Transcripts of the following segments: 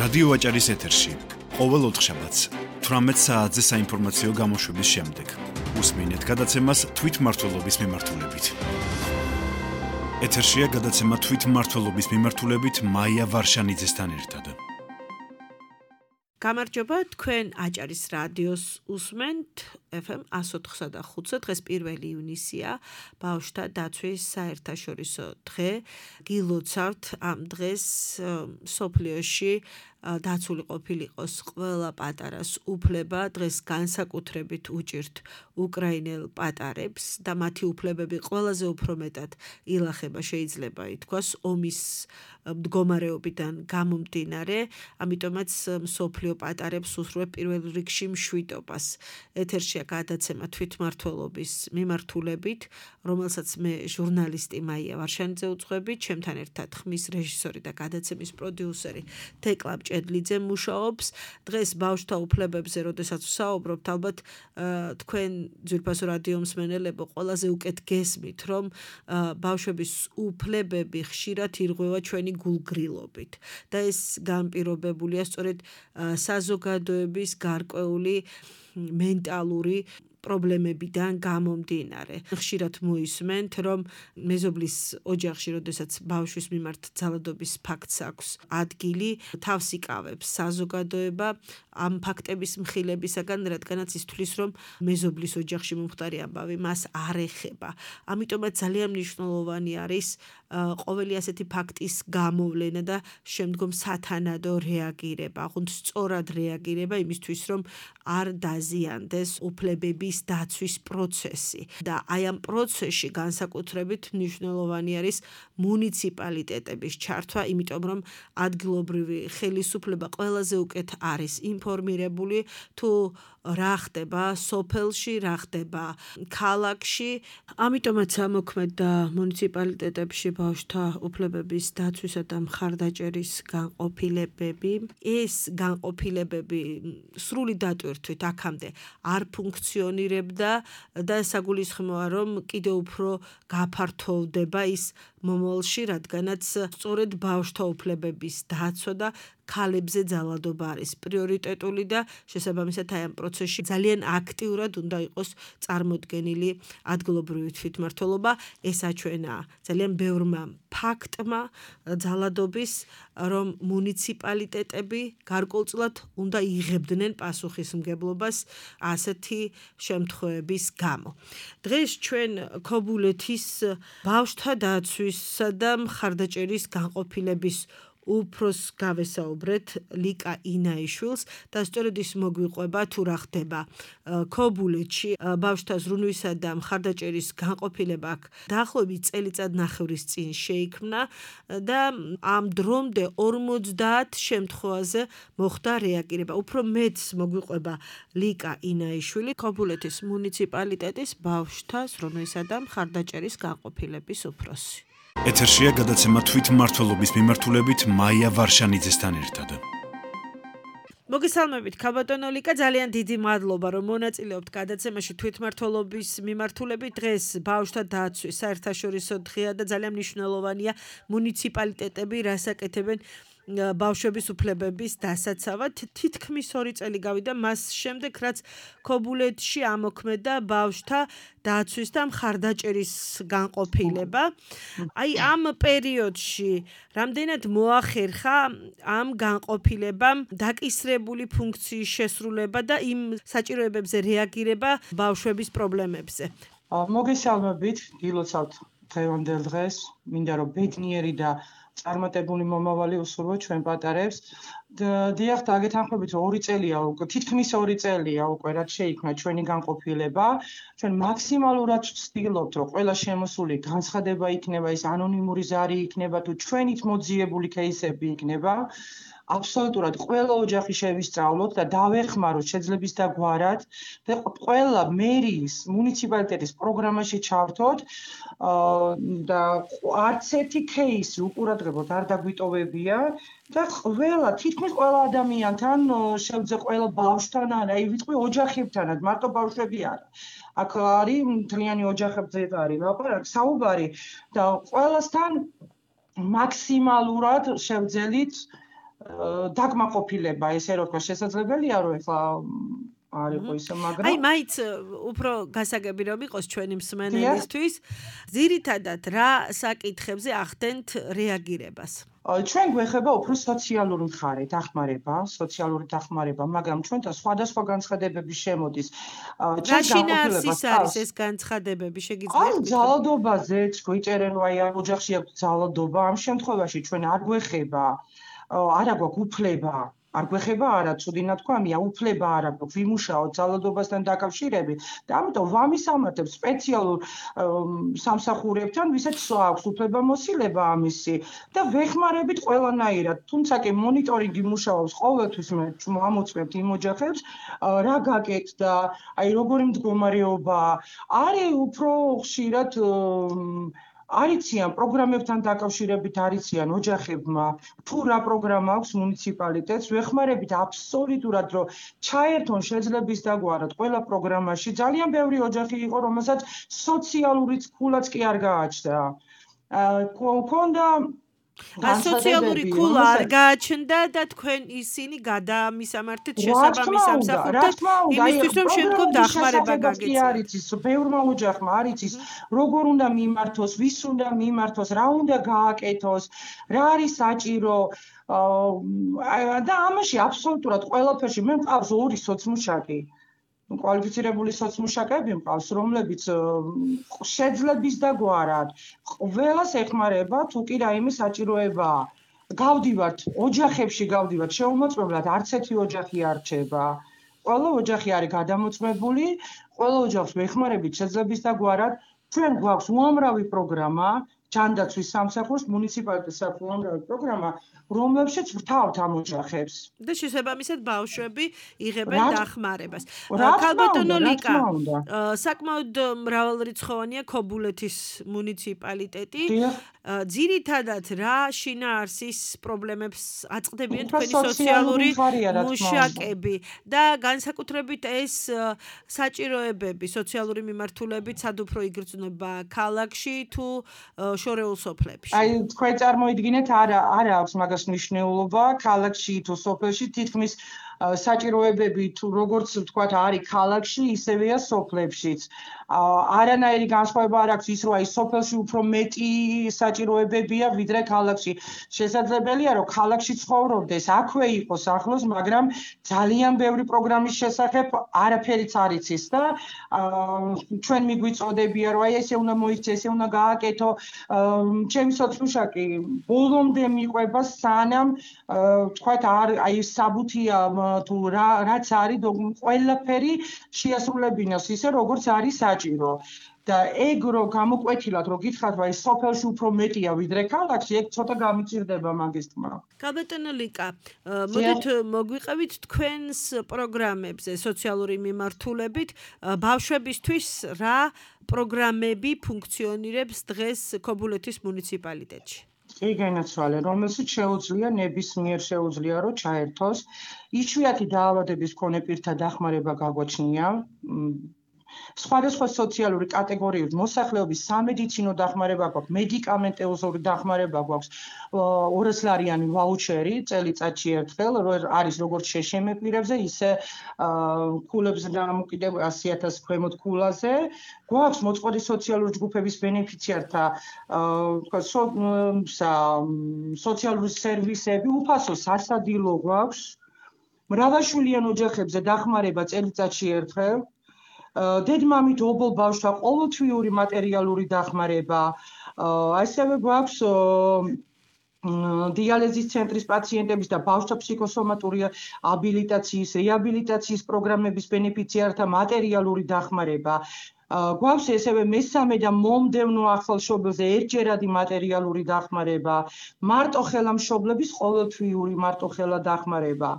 რადიო აჭარის ეთერში ყოველ ოთხშაბათს 18 საათზე საინფორმაციო გამოშვების შემდეგ უსმინეთ გადაცემას თვითმმართველობის მიმართულებით. ეთერშია გადაცემა თვითმმართველობის მიმართულებით მაია ვარშანიძესთან ერთად. გამარჯობა, თქვენ აჭარის რადიოს უსმენთ FM 104.5. დღეს 1 ივნისია, ბავშვთა დაცვის საერთაშორისო დღე. გილოცავთ ამ დღეს სოფლიოში დაცული ყოფილიყოს ყველა პატარას უფლება, დღეს განსაკუთრებით უჭირთ უკრაინელ პატარებს და მათი უფლებები ყველაზე უფრო მეტად ილახება, შეიძლება ითქვას, ომის მდგომარეობიდან გამომდინარე, ამიტომაც მსოფლიო პატარებს უსურვებ პირველ რიგში მშვიდობას. ეთერშია გადაცემა თვითმმართველობის მიმართულებით, რომელსაც მე ჟურნალისტი მაია ვარშანიძე უძღვები, ჩემთან ერთად ხმის რეჟისორი და გადაცემის პროდიუსერი თეკლა ჭედლიძე მუშაობს. დღეს ბავშვთა უფლებებზე, როდესაც ვსაუბრობთ, ალბათ თქვენ ძვირფასო რადიო მსმენელებო ყველაზე უკეთ გესმით, რომ ბავშვების უფლებები ხშირად ირღვევა ჩვენი გულგრილობით და ეს განპირობებულია სწორედ საზოგადოების გარკვეული მენტალური პრობლემებიდან გამომდინარე. ხშირად მოისმენთ, რომ მეზობლის ოჯახში, როდესაც ბავშვის მიმართ ძალადობის ფაქტს აქვს ადგილი, თავს იკავებს საზოგადოება ამ ფაქტების მხილებისაგან, რადგანაც ის თვლის, რომ მეზობლის ოჯახში მომხდარი ამბავი მას არ ეხება. ამიტომაც ძალიან მნიშვნელოვანი არის ყოველი ასეთი ფაქტის გამოვლენა და შემდგომ სათანადო რეაგირება, აღუნდ სწორად რეაგირება იმისთვის, რომ არ დაზიანდეს უფლებების დაცვის პროცესი და აი ამ პროცესში განსაკუთრებით მნიშვნელოვანი არის მუნიციპალიტეტების ჩართვა, იმიტომ რომ ადგილობრივი ხელისუფლება ყველაზე უკეთ არის ინფორმირებული თუ რა ხდება სოფელში, რა ხდება ქალაქში. ამიტომაც ამოქმედა მუნიციპალიტეტებში ბავშვთა უფლებების დაცვისა და მხარდაჭერის განყოფილებები. ეს განყოფილებები სრული დატვირთვით აქამდე არ ფუნქციონირებდა და საგულისხმოა, რომ კიდევ უფრო გაფართოვდება ის მომავალში, რადგანაც სწორედ ბავშვთა უფლებების დაცვა და ქალებზე ძალადობა არის პრიორიტეტული და შესაბამისად აი ამ პროცესში ძალიან აქტიურად უნდა იყოს წარმოდგენილი ადგილობრივი თვითმმართველობა. ეს აჩვენა ძალიან ბევრმა ფაქტმა ძალადობის, რომ მუნიციპალიტეტები გარკვეულწილად უნდა იღებდნენ პასუხისმგებლობას ასეთი შემთხვევების გამო. დღეს ჩვენ ქობულეთის ბავშვთა დაცვისა და მხარდაჭერის განყოფილების უფროსს გავესაუბრეთ ლიკა ინაიშვილს და სწორედ ის მოგვიყვება თუ რა ხდება ქობულეთში. ბავშვთა ზრუნვისა და მხარდაჭერის განყოფილება აქ დაახლოებით წელიწადნახევრის წინ შეიქმნა და ამ დრომდე 50 შემთხვევაზე მოხდა რეაგირება. უფრო მეტს მოგვიყვება ლიკა ინაიშვილი, ქობულეთის მუნიციპალიტეტის ბავშვთა ზრუნვისა და მხარდაჭერის განყოფილების უფროსი. ეთერშია გადაცემა თვითმმართველობის მიმართულებით მაია ვარშანიძესთან ერთად. მოგესალმებით, ქალბატონო ლიკა, ძალიან დიდი მადლობა, რომ მონაწილეობთ გადაცემაში თვითმმართველობის მიმართულებით. დღეს ბავშვთა დაცვის საერთაშორისო დღეა და ძალიან მნიშვნელოვანია მუნიციპალიტეტები რას აკეთებენ ბავშვების უფლებების დასაცავად. თითქმის 2 წელი გავიდა მას შემდეგ, რაც ქობულეთში ამოქმედა ბავშვთა დაცვის და მხარდაჭერის განყოფილება. აი ამ პერიოდში რამდენად მოახერხა ამ განყოფილებამ დაკისრებული ფუნქციის შესრულება და იმ საჭიროებებზე რეაგირება ბავშვების პრობლემებზე. მოგესალმებით, გილოცავთ დღევანდელ დღეს, მინდა რომ ბედნიერი და წარმატებული მომავალი უსურვო ჩვენ პატარებს. დიახ, დაგეთანხმებით 2 წელია უკვე, თითქმის 2 წელია უკვე რაც შეიქმნა ჩვენი განყოფილება. ჩვენ მაქსიმალურად ვცდილობთ, რომ ყველა შემოსული განცხადება იქნება, ის ანონიმური ზარი იქნება თუ ჩვენით მოძიებული кейსები იქნება. აბსოლუტურად ყველა ოჯახი შევისწავლოთ და დავეხმაროთ შეძლების და გვარად და ყველა მერიის მუნიციპალიტეტის პროგრამაში ჩავთოთ და არც ერთი кейსი უყურადღებოდ არ დაგვიტოვებია და თითქმის ყველა ადამიანთან შევძე ყველა ბავშვთან, აი ვიტყვი ოჯახებთანაც, მარტო ბავშვები არა. აქ არის მთლიანი ოჯახებზე არის ლაპარაკი, საუბარი და ყველასთან მაქსიმალურად შევძელით დაკმაყოფილება, ესე რომ თქვა, შესაძლებელია რომ ეხლა არ იყო ისე, მაგრამ აი, მაინც უფრო გასაგები რომ იყოს ჩვენი მსმენელისთვის, ძირითადად რა საკითხებზე ახდენთ რეაგირებას? ჩვენ გვეხება უფრო სოციალური მხარე, დახმარება, მაგრამ ჩვენთან სხვადასხვა განცხადებები შემოდის. რა შინაარსის არის ეს განცხადებები, შეგიძლიათ? აი, ძალადობაზეც გვიწერენ, რომ აი ამ ოჯახში აქვს ძალადობა, ამ შემთხვევაში ჩვენ არ გვეხება, არა გვაქვს უფლება. არ გვეხება არა, ცუდი ნათქვამია, უფლება არ აქვს ვიმუშაოთ ძალადობასთან დაკავშირებით და ამიტომ ვამისამართებ სპეციალურ სამსახურებთან, ვისაც აქვს უფლებამოსილება ამისი და ვეხმარებით ყველანაირად. თუმცა კი მონიტორინგი მუშაობს ყოველთვის, მე ამოწმებთ იმ ოჯახებს, რა გაკეთდა, აი როგორი მდგომარეობაა. არის უფრო ხშირად არიციან პროგრამებთან დაკავშირებით არიციან ოჯახებმა თუ რა პროგრამა აქვს მუნიციპალიტეტს ვეხმარებით აბსოლუტურად რომ ჩაერთონ შეძლების დაგვარად ყველა პროგრამაში ძალიან ბევრი ოჯახი იყო რომელსაც სოციალური ფულაც კი არ გააჩნდა ქონდა სოციალური ფულა არ გააჩნდა და თქვენ ისინი გადაამისამართეთ შესაბამის სამსახურთან იმისთვის რომ შემდგომ დახმარება გაგეცეთ. არის ის ბევრმა ოჯახმა არის ის როგორ უნდა მიმართოს, ვის უნდა მიმართოს, რა უნდა გააკეთოს, რა არის საჭირო და ამაში აბსოლუტურად ყველაფერში მე მყავს ორი სოციმუშაკი. კვალიფიცირებული სოციმუშაკები მყავს, რომლებიც შეძლების დაგვარად ყველას ეხმარება, თუ კი რაიმე საჭიროებაა. გავდივართ, ოჯახებში გავდივართ, შეუმოწმებლად არც ერთი ოჯახი არ რჩება. ყველა ოჯახი არის გადამოწმებული, ყველა ოჯახს ვეხმარებით შეძლების დაგვარად. ჩვენ გვაქვს უამრავი პროგრამა, ჯანდაცვის სამსახურს, მუნიციპალიტეტს აქვს უამრავი პროგრამა, რომლებშიც ვრთავთ ამ ოჯახებს. და შესაბამისად ბავშვები იღებენ დახმარებას. ქალბატონო ლიკა, საკმაოდ მრავალრიცხოვანია ქობულეთის მუნიციპალიტეტი. ძირითადად რა შინაარსის პრობლემებს აწყდებიან თქვენი სოციალური მუშაკები და განსაკუთრებით ეს საჭიროებები, სოციალური მიმართულებით სად უფრო იგრძნობა ქალაქში თუ შორეულ სოფლებში? აი, თქვენ წარმოიდგინეთ, არა აქვს მაგას მნიშვნელობა, ქალაქში თუ სოფელში თითქმის საჭიროებები თუ როგორც ვთქვათ არის ქალაქში, ისევეა სოფლებშიც. არანაირი განსხვავება არ აქვს ის, რომ აი სოფელში უფრო მეტი საჭიროებებია ვიდრე ქალაქში. შესაძლებელია, რომ ქალაქში ცხოვრობდეს, აქვე იყოს ახლოს, მაგრამ ძალიან ბევრი პროგრამის შესახებ არაფერიც არ იცის და ჩვენ მიგვიწოდებია, რომ აი ესე უნდა მოიქცე, ესე უნდა გააკეთო. ჩემი სოციმუშაკი ბოლომდე მიყვება, სანამ ვთქვათ აი საბუთია თუ რაც არის ყველაფერი შეასრულებინოს ისე როგორც არის საჭირო და ეგ რო გამოკვეთილად რო გითხრათ რომ აი სოფელში უფრო მეტია ვიდრე ქალაქში ეგ ცოტა გამიჭირდება მაგის თქმა. ქალბატონო ლიკა, მოდით მოგვიყევით თქვენს პროგრამებზე სოციალური მიმართულებით ბავშვებისთვის რა პროგრამები ფუნქციონირებს დღეს ქობულეთის მუნიციპალიტეტში? კი განაცვალე, რომელსაც შეუძლია ნებისმიერ შეუძლია რომ ჩაერთოს. იშვიათი დაავადების მქონე პირთა დახმარება გაგვაჩნია. სხვადასხვა სოციალური კატეგორიის მოსახლეობის სამედიცინო დახმარება გვაქვს, მედიკამენტოზური დახმარება გვაქვს, 200 ლარიანი ვაუჩერი წელიწადში ერთხელ, არის როგორც შეშემე პირებზე, ისე ქულებზე დამოკიდებული 100,000 ქვემოთ ქულაზე. გვაქვს მოწყვლადი სოციალური ჯგუფების ბენეფიციართა სოციალური სერვისები, უფასო სასადილო გვაქვს. მრავალშვილიან ოჯახებზე დახმარება წელიწადში ერთხელ. დედმამით ობოლ ბავშვთა ყოველთვიური მატერიალური დახმარება. ასევე გვაქვს დიალეზის ცენტრის პაციენტების და ბავშვთა ფსიქოსომატური აბილიტაციის, რეაბილიტაციის პროგრამების ბენეფიციართა მატერიალური დახმარება. გვაქვს ესევე მესამე და მომდევნო ახალშობილზე ერთჯერადი მატერიალური დახმარება. მარტოხელა მშობლების ყოველთვიური მარტოხელა დახმარება.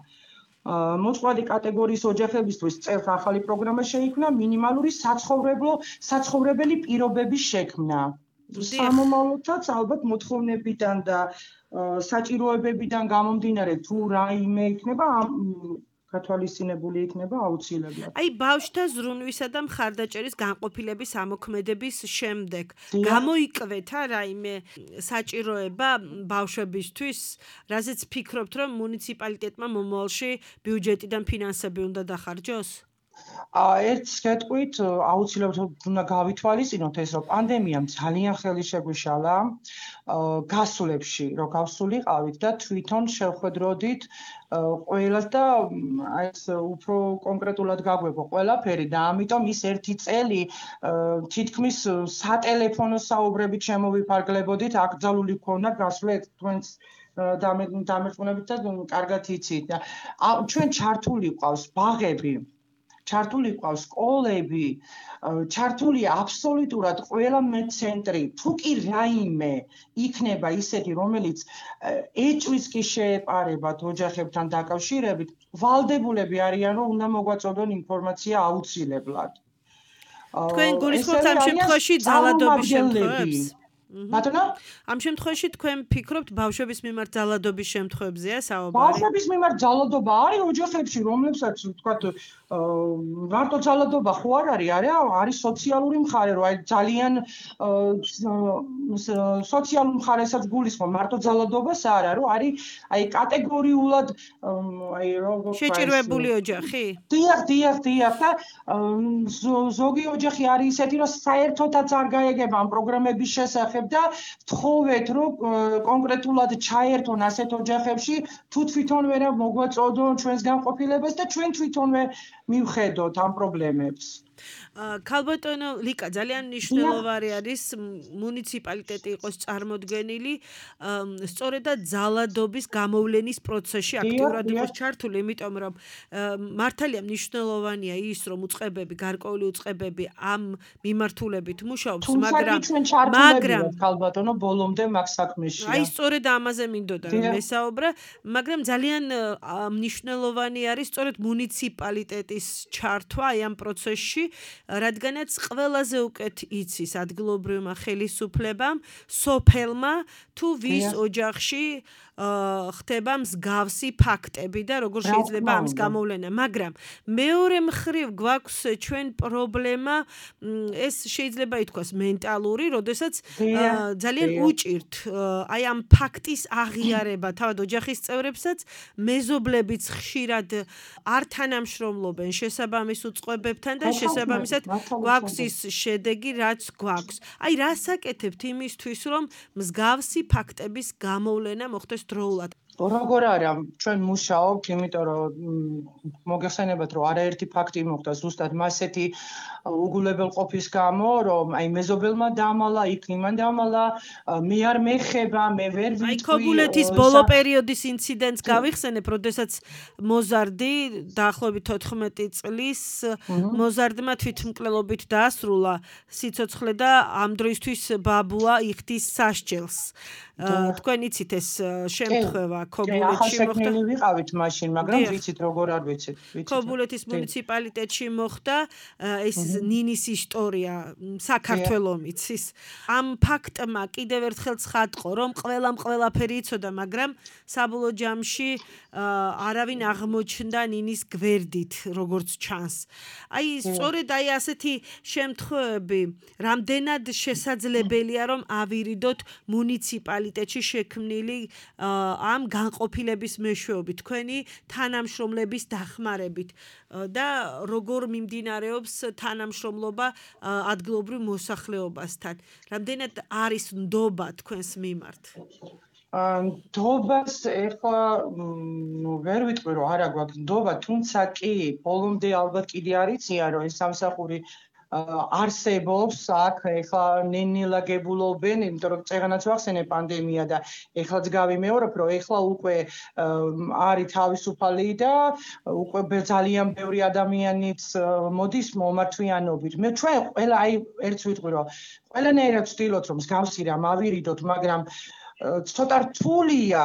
მოწყვლადი კატეგორიის ოჯახებისთვის წელს ახალი პროგრამა შეიქმნა მინიმალური საცხოვრებელი პირობების შექმნა. სამომავლოდაც ალბათ მოთხოვნებიდან და საჭიროებებიდან გამომდინარე თუ რაიმე იქნება გათვალისწინებული იქნება აუცილებლად. აი ბავშვთა ზრუნვისა და მხარდაჭერის განყოფილების ამოქმედების შემდეგ გამოიკვეთა რაიმე საჭიროება ბავშვებისთვის, რაზეც ფიქრობთ, რომ მუნიციპალიტეტმა მომავალში ბიუჯეტიდან ფინანსები უნდა დახარჯოს? ერთს გეტყვით, აუცილებლად უნდა გავითვალისწინოთ ეს, რომ პანდემიამ ძალიან ხელი შეგვიშალა გასვლებში, რომ გავსულიყავით და თვითონ შევხვედროდით ყველას და ეს უფრო კონკრეტულად გაგვეყო ყველაფერი და ამიტომ ის ერთი წელი თითქმის სატელეფონო საუბრებით შემოვიფარგლებოდით, აკრძალული გქონდა გასვლა თქვენს დამერწმუნებით და კარგად იცით და ჩვენ ჩართული ყავს ბაღები, ჩართული ყავს სკოლები, ჩართული აბსოლუტურად ყველა მეცენტრი, თუ კი რაიმე იქნება ისეთი, რომელიც ეჭვის კი შეეპარებათ ოჯახებთან დაკავშირებით, ვალდებულები არიან, რომ უნდა მოგვაწოდონ ინფორმაცია აუცილებლად. თქვენ გულისხმობთ ამ შემთხვევაში ძალადობის შემთხვევებს? ბატონო? ამ შემთხვევაში თქვენ ფიქრობთ ბავშვების მიმართ ძალადობის შემთხვევებზეა საუბარი? ბავშვების მიმართ ძალადობა არის ოჯახებში, რომლებსაც ვთქვათ, მარტო ძალადობა ხო არ არის სოციალური მხარე, რომ აი ძალიან სოციალურ მხარესაც გულისხმობ, მარტო ძალადობას არა, რომ არის აი კატეგორიულად აი როგორ შეჭირვებული ოჯახი? დიახ და ზოგი ოჯახი არის ისეთი, რომ საერთოდაც არ გაეგება ამ პროგრამების შესახებ და ვთხოვეთ, რომ კონკრეტულად ჩაერთონ ასეთ ოჯახებში, თუ თვითონ ვერ მოგვაწოდონ ჩვენს განყოფილებას და ჩვენ თვითონვე მივხედოთ ამ პრობლემებს. ქალბატონო ლიკა, ძალიან მნიშვნელოვანი არის მუნიციპალიტეტი იყოს წარმოდგენილი სწორედად ძალადობის გამოვლენის პროცესში აქტიურად იყოს ჩართული, იმიტომ რომ მართალია მნიშვნელოვანია ის, რომ უწყებები, გარკვეული უწყებები ამ მიმართულებით მუშაობს, მაგრამ ქალბატონო ბოლომდე მაგ საქმეში. აი სწორედ ამაზე მინდოდა რომ მესაუბრა, მაგრამ ძალიან მნიშვნელოვანი არის სწორედ მუნიციპალიტეტის ჩართვა აი ამ პროცესში, რადგანაც ყველაზე უკეთ იცის ადგილობრივმა ხელისუფლებამ, სოფელმა თუ ვის ოჯახში ხდება მსგავსი ფაქტები და როგორ შეიძლება ამის გამოვლენა, მაგრამ მეორე მხრივ გვაქვს ჩვენ პრობლემა, ეს შეიძლება ითქვას მენტალური, როდესაც ძალიან უჭირთ აი ამ ფაქტის აღიარება თავად ოჯახის წევრებსაც, მეზობლებიც ხშირად არ თანამშრომლობენ შესაბამის უწყებებთან და შესაბამისად გვაქვს ის შედეგი, რაც გვაქვს. აი რას აკეთებთ იმისთვის, რომ მსგავსი ფაქტების გამოვლენა მოხდეს დროულად? როგორ არის ჩვენ მუშაობთ, იმიტომ რომ მოგეხსენებათ, რომ არაერთი ფაქტი მოხდა ზუსტად მასეთი უგულებელყოფის გამო, რომ აი მეზობელმა დამალა, იქ იმან დამალა, მე არ მეხება, მე ვერ ვიტყვი. აი ქობულეთის ბოლო პერიოდის ინციდენტს გავიხსენებ, როდესაც მოზარდი დაახლოებით 14 წლის მოზარდმა თვითმკვლელობით დაასრულა სიცოცხლე და ამ დროისთვის ბაბუა იხდის სასჯელს. თქვენ იცით ეს შემთხვევა ქობულეთში მოხდა. ახლა ვიყავით მაშინ, მაგრამ ვიცით როგორ არ ვიცით. ქობულეთის მუნიციპალიტეტში მოხდა ეს ნინის ისტორია საქართველოს ის ამ ფაქტმა კიდევ ერთხელ ცხადყო, რომ ყველაფერი იცოდა, მაგრამ საბოლოო ჯამში არავინ აღმოჩნდა ნინის გვერდით, როგორც ჩანს. აი სწორედ აი ასეთი შემთხვევები რამდენად შესაძლებელია, რომ ავირიდოთ მუნიციპალიტეტში შექმნილი ამ განყოფილების მეშვეობით, თქვენი თანამშრომლების დახმარებით და როგორ მიმდინარეობს თანამშრომლობა ადგილობრივ მოსახლეობასთან. რამდენად არის ნდობა თქვენს მიმართ? ნდობას ეხლა ვერ ვიტყვი, რომ არა გვაქვს ნდობა, თუმცა კი ბოლომდე ალბათ კიდე არ იციან, რომ ეს სამსახური არსებობს აქ ეხლა ნენილაგებულობენ, იმიტომ რომ წეგანაც ვახსენე პანდემია და ეხლაც გავიმეორებ, რომ ეხლა უკვე არის თავისუფალი და უკვე ძალიან ბევრი ადამიანიც მოდის მომართვიანობით. მე ჩვენ ყველა აი ერთს ვიტყვი, რომ ყველანაირად ვცდილობთ, რომ მსგავსი რამ ავირიდოთ, მაგრამ ცოტა რთულია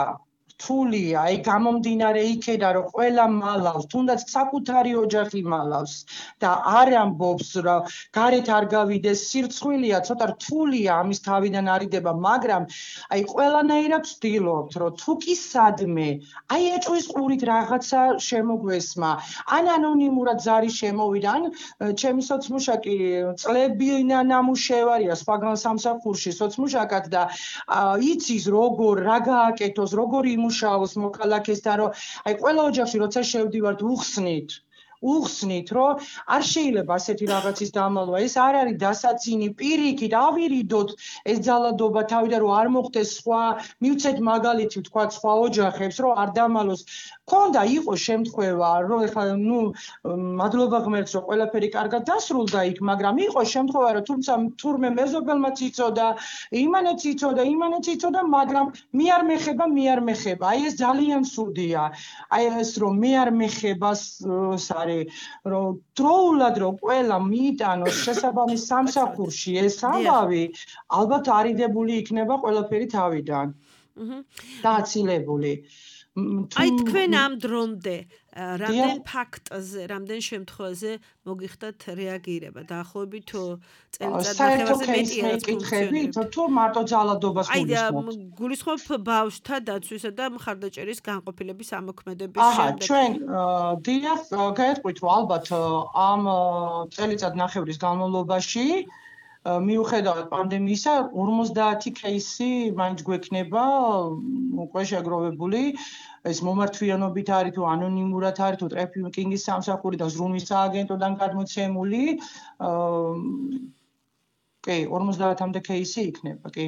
რთულია, აი გამომდინარე იქედან რომ ყველა მალავს, თუნდაც საკუთარი ოჯახი მალავს და არ ამბობს რომ გარეთ არ გავიდეს, სირცხვილია, ცოტა რთულია ამის თავიდან არიდება, მაგრამ აი ყველანაირად ვცდილობთ რომ თუ კი სადმე, აი ეჭვის ყურით რაღაცა შემოგვესმა, ან ანონიმურად ზარი შემოვიდა, ან ჩემი სოცმუშაკი წლები ნამუშევარია სხვაგან სამსახურში სოცმუშაკად და იცის როგორ რა გააკეთოს, როგორ იმუშაოს მოქალაქესთან, რომ აი ყველა ოჯახში როცა შევდივართ უხსნით, რომ არ შეიძლება ასეთი რაღაცის დამალვა, ეს არ არის დასაცინი, პირიქით ავირიდოთ ეს ძალადობა თავიდან, რომ არ მოხდეს სხვა, მივცეთ მაგალითი ვთქვათ სხვა ოჯახებს, რომ არ დამალოს. ქონდა იყო შემთხვევა, რომ ეხლა მადლობა ღმერთს, რომ ყველაფერი კარგად დასრულდა იქ, მაგრამ იყო შემთხვევა, რომ თუმცა თურმე მეზობელმაც იცოდა, იმანაც იცოდა, მაგრამ მე არ მეხება. აი ეს ძალიან ცუდია. აი ეს რომ მე არ მეხებას რომ დროულად რომ ყველა მიიტანოს შესაბამის სამსახურში ეს ამბავი, ალბათ არიდებული იქნება ყველაფერი თავიდან. დააცილებული. აი თქვენ ამ დრომდე რამდენ ფაქტზე, რამდენ შემთხვევაზე მოგიხდათ რეაგირება დაახლოებით წელიწად ნახევარზე თუ მარტო ძალადობას გულისხმობთ. აი გულისხმობ ბავშვთა დაცვისა და მხარდაჭერის განყოფილების ამოქმედების შემდეგ. ჩვენ დიახ, გაეტყვით რომ ალბათ ამ წელიწად ნახევრის განმავლობაში მიუხედავად პანდემიისა 50 кейსი მაინც გვექნება უკვე შეგროვებული ეს მომართვიანობით არის თუ ანონიმურად არის თუ ტრეფიკინგის სამსახური და ზრუნვის სააგენტოდან გადმოცემული კი 50-მდე кейსი იქნება კი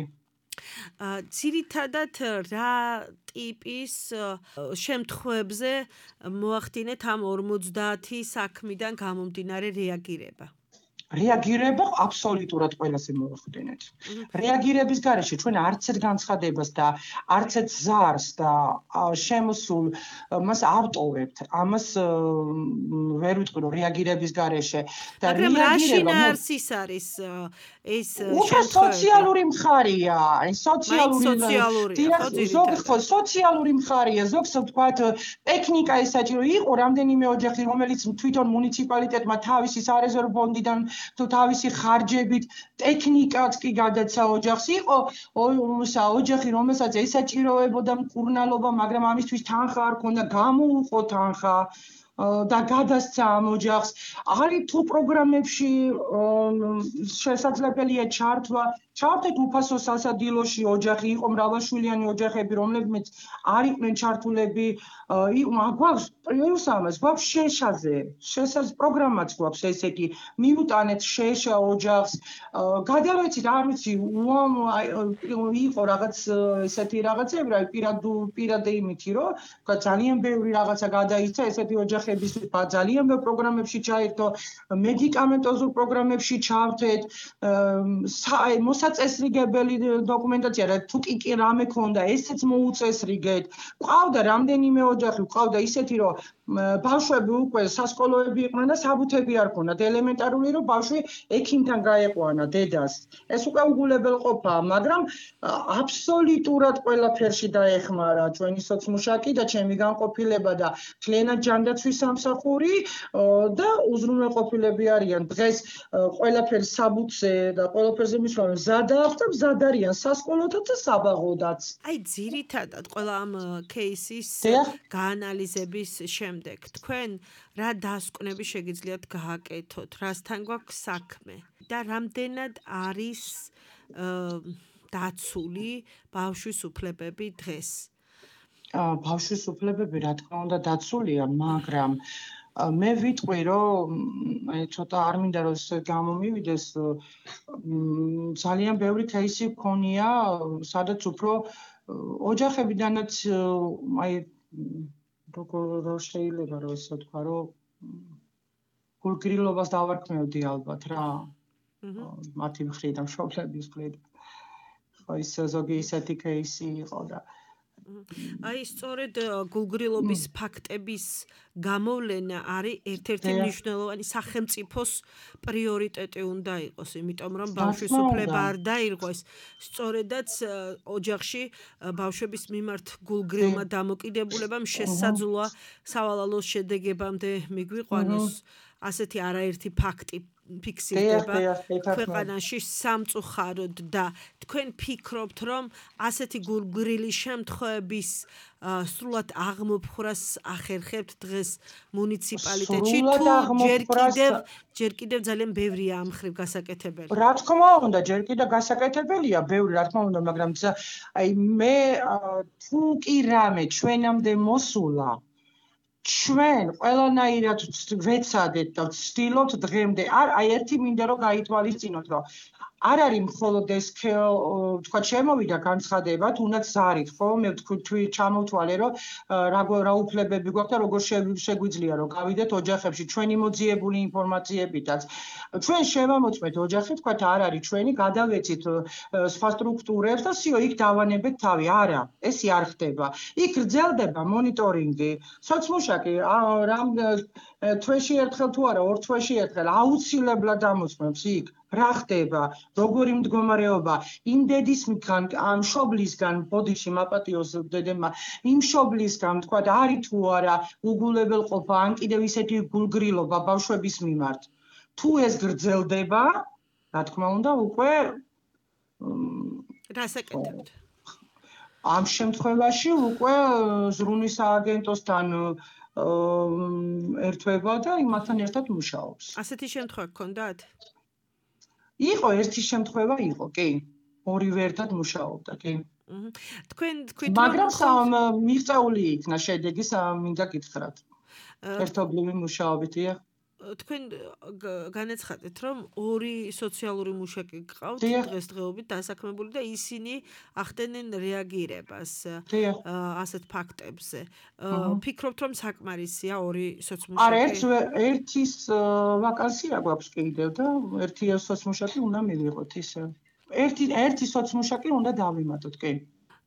ძირითადად რა ტიპის შემთხვევებზე მოახდინეთ ამ 50 საქმიდან გამომდინარე რეაგირება რეაგირება აბსოლუტურად ყველაზე მოახდინეთ. რეაგირების გარეშე ჩვენ არც ერთ განცხადებას და არც ერთ ზარს და შემოსულ მას ავტოვებთ. ამას ვერ ვიტყვი რომ რეაგირების გარეშე და რეაგირება ის არის ეს სოციალური მხარეა, სოციალური მხარეა, ზოგს ვთქვათ ტექნიკა ეს საჭირო იყო რამდენიმე ოჯახი რომელიც თვითონ მუნიციპალიტეტმა თავისი სარეზერვო ფონდიდან თუ თავისი ხარჯებით ტექნიკაც კი გადაცა ოჯახს იყო ოჯახი რომელსაც ესაჭიროებოდა მკურნალობა მაგრამ ამისთვის თანხა არ ქონდა გამოუყო თანხა და გადასცა ამ ოჯახს არის თუ პროგრამებში შესაძლებელია ჩართეთ უფასო სასადილოში ოჯახი იყო მრავალშვილიანი ოჯახები რომლებიც არ იყვნენ ჩართულები გვაქვს პრიუსამას გვაქვს შეშაზე პროგრამაც გვაქვს ესეთი მიუტანეთ შეშა ოჯახს გადავეცით არ ვიცი იყო რაღაც ესეთი რაღაცები რა პირადე იმითი რომ ძალიან ბევრი რაღაცა გადაიცა ესეთი ოჯახების ძალიან ბევრ პროგრამებში ჩაერთო მედიკამენტოზურ პროგრამებში ჩავთეთ მოსაწესრიგებელი დოკუმენტაცია რა თუ კი რამე ქონდა ესეც მოუწესრიგეთ ყავდა რამდენიმე ოჯახი ყავდა ისეთი რომ ბავშვები უკვე სასკოლოები იყვნენ და საბუთები არ ქონდათ ელემენტარული რომ ბავშვი ექიმთან გაეყვანა დედას ეს უკვე უგულებელყოფაა მაგრამ აბსოლუტურად ყველაფერში დაეხმარა ჩვენი სოცმუშაკი და ჩემი განყოფილება და მთლიანად ჯანდაცვის სამსახური და უზრუნველყოფილები არიან დღეს ყველაფერი საბუთზე და ყველაფერზე მისვლა მზად აქვს და მზად არიან სასკოლოთაც და საბაღოდაც აი ძირითადად ყველა ამ кейსის გაანალიზების შემდეგ თქვენ რა დასკვნები შეგიძლიათ გააკეთოთ რასთან გვაქვს საქმე და რამდენად არის დაცული ბავშვის უფლებები დღეს ბავშვის უფლებები რა თქმა უნდა დაცულია მაგრამ მე ვიტყვი რომ აი ცოტა არ მინდა რომ გამომივიდეს ძალიან ბევრი кейსი მქონია სადაც უფრო ოჯახებიდანაც აი როგორ შეიძლება რომ ესე ვთქვა რომ გულგრილობას დავარქმევდი ალბათ რა მათი მხრიდან მშობლების მხრიდან ხო ის ზოგი ისეთი кейსი იყო და აი სწორედ გულგრილობის ფაქტების გამოვლენა არის ერთ-ერთი მნიშვნელოვანი სახელმწიფოს პრიორიტეტი უნდა იყოს, იმიტომ რომ ბავშვის უფლება არ დაირღვეს. სწორედაც ოჯახში ბავშვების მიმართ გულგრილმა დამოკიდებულებამ შესაძლოა სავალალოს შედეგებამდე მიგვიყვანოს. ასეთი არაერთი ფაქტი ფიქსირდება ქვეყანაში სამწუხაროდ და თქვენ ფიქრობთ, რომ ასეთი გულგრილის შემთხვევების სრულად აღმოფხვრას ახერხებთ დღეს მუნიციპალიტეტში თუ ჯერ კიდევ ძალიან ბევრია ამ ხრივ გასაკეთებელი? რა თქმა უნდა, ჯერ კიდევ გასაკეთებელია, ბევრი რა თქმა უნდა, მაგრამ აი მე თუ კი რამე ჩვენამდე მოსულა ჩვენ ყველანაირად ვეცადეთ და ვცდილობთ დღემდე. აი ერთი მინდა რომ გაითვალისწინოთ, რომ არ არის მხოლოდ ეს თქვა შემოვიდა განცხადება, თუნდაც ზარით, ხო? მე ვთქვი ჩამოვთვალე, რომ რა უფლებები გვაქვს და როგორ შეგვიძლია რომ გავიდეთ ოჯახებში ჩვენი მოძიებული ინფორმაციებითაც. ჩვენ შევამოწმეთ ოჯახი, თქვა არ არის ჩვენი, გადავეცით სხვა სტრუქტურებს და სიო იქ დავანებეთ თავი. არა, ესე არ ხდება. იქ გრძელდება მონიტორინგი, სოციმუშაკი რამ თვეში ერთხელ თუ არა, ორ თვეში ერთხელ აუცილებლად ამოწმებს იქ. რა ხდება, როგორი მდგომარეობა, იმ დედისგან, ამ მშობლისგან, ბოდიში მაპატიოს დედემა, იმ მშობლისგან, თქვა, არის თუ არა უგულებელყოფა, ან კიდევ ისეთი გულგრილობა ბავშვების მიმართ. თუ ეს გრძელდება, რა თქმა უნდა, უკვე რას აკეთებთ? ამ შემთხვევაში უკვე ზრუნვის სააგენტოსთან ერთვება და იმასთან ერთად მუშაობს. ასეთი შემთხვევა გქონდათ? იყო ერთი შემთხვევა იყო, კი. ორივე ერთად მუშაობდა, კი. თქვენ თქვით, მაგრამ მიღწეული იქნა შედეგი, მინდა გითხრათ. ერთობლივი მუშაობითია. თქვენ განაცხადეთ, რომ ორი სოციალური მუშაკი გყავთ დღესდღეობით დასაქმებული და ისინი ახდენენ რეაგირებას ასეთ ფაქტებზე. ფიქრობთ, რომ საკმარისია ორი სოციმუშაკი? არა, ერთის ვაკანსია გვაქვს კიდევ და ერთი სოციმუშაკი უნდა მივიღოთ ისე. ერთი სოციმუშაკი უნდა დავიმატოთ, კი.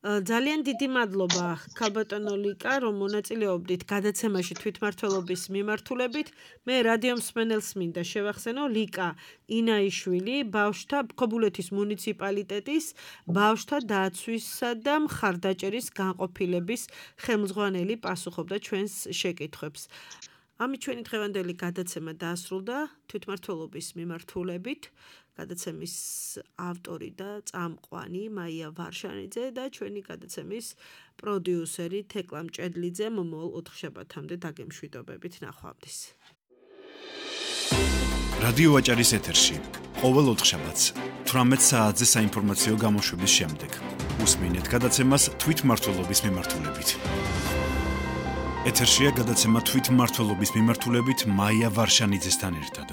ძალიან დიდი მადლობა ქალბატონო ლიკა, რომ მონაწილეობდით გადაცემაში თვითმმართველობის მიმართულებით. მე რადიო მსმენელს მინდა შევახსენო, ლიკა ინაიშვილი, ბავშვთა ქობულეთის მუნიციპალიტეტის ბავშვთა დაცვისა და მხარდაჭერის განყოფილების ხელმძღვანელი პასუხობდა ჩვენს შეკითხვებს. ამით ჩვენი დღევანდელი გადაცემა დაასრულდა თვითმმართველობის მიმართულებით. გადაცემის ავტორი და წამყვანი მაია ვარშანიძე და ჩვენი გადაცემის პროდიუსერი თეკლა მჭედლიძე. მომავალ ოთხშაბათამდე დაგემშვიდობებით, ნახვამდის. რადიო ვაჭარის ეთერში ყოველ ოთხშაბათს 18 საათზე საინფორმაციო გამოშვების შემდეგ უსმინეთ გადაცემას თვითმმართველობის მიმართულებით. ეთერშია გადაცემა თვითმმართველობის მიმართულებით მაია ვარშანიძესთან ერთად.